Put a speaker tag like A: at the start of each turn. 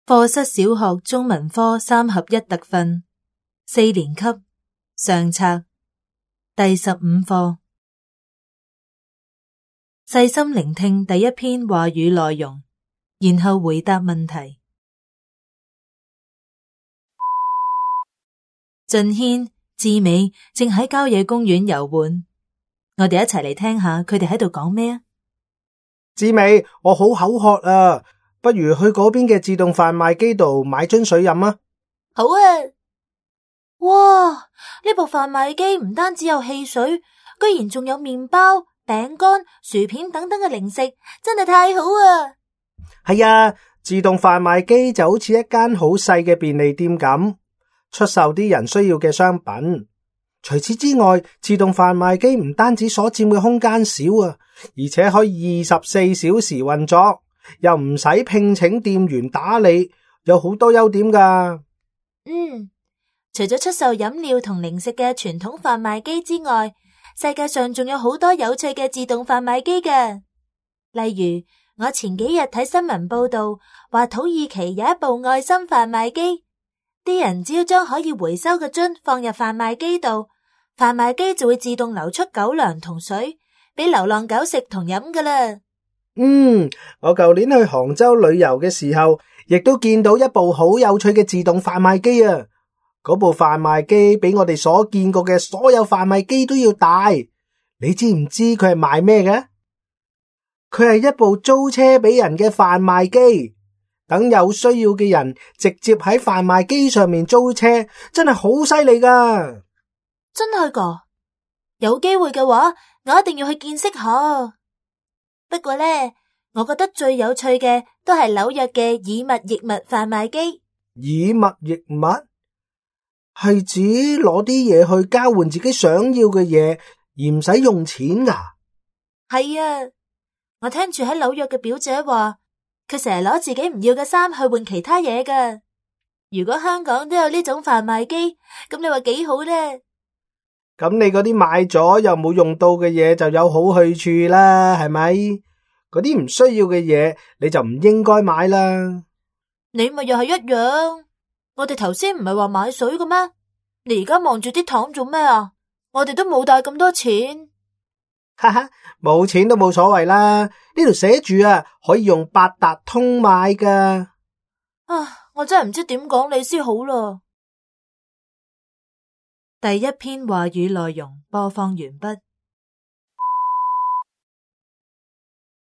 A: 課室小學中文科3合1特訓4年級上冊第15課。細心聆聽第一篇話語內容，然後回答問題。俊軒、志美正喺郊野公園遊玩，我哋一齊嚟聽下佢哋喺度講咩啊？
B: 志美，我好口渴啊，不如去嗰邊嘅自動販賣機度買樽水飲啊！
A: 好啊！哇，呢部販賣機唔單止有汽水，居然仲有麵包、餅乾、薯片等等嘅零食，真係太好啊！
B: 係啊，自動販賣機就好似一間好細嘅便利店咁，出售啲人需要嘅商品。除此之外，自動販賣機唔單止所佔嘅空間少啊，而且可以24小時運作，又唔使聘請店員打理，有好多優點㗎。
A: 除咗出售飲料同零食嘅傳統販賣機之外，世界上仲有好多有趣嘅自動販賣機嘅。例如，我前幾日睇新聞報道，話土耳其有一部愛心販賣機，啲人只要將可以回收嘅樽放入販賣機度，販賣機就會自動流出狗糧同水，俾流浪狗食同飲噶啦。
B: 我舊年去杭州旅遊嘅時候，亦都見到一部好有趣嘅自動販賣機啊！嗰部販賣機比我哋所見過嘅所有販賣機都要大。你知唔知佢係賣咩嘅？佢係一部租車俾人嘅販賣機，等有需要嘅人直接喺販賣機上面租車，真係好犀利噶！
A: 真係噶，有機會嘅話，我一定要去見識下。不過呢，我覺得最有趣嘅都係紐約嘅以物易物販賣機。
B: 以物易物係指攞啲嘢去交換自己想要嘅嘢，而唔使用錢噶。
A: 係啊，我聽住喺紐約嘅表姐話，佢成日攞自己唔要嘅衫去換其他嘢噶。如果香港都有呢種販賣機，咁你話幾好呢？
B: 咁你嗰啲買咗又冇用到嘅嘢就有好去處啦，係咪？嗰啲唔需要嘅嘢你就唔應該買啦。
A: 你咪又係一樣。我哋頭先唔係話買水嘅咩？你而家望住啲糖做咩啊？我哋都冇帶咁多錢。
B: 哈哈，冇錢都冇所謂啦。呢度寫住啊，可以用八達通買噶。
A: 我真係唔知點講你先好啦。第一篇話語內容播放完畢。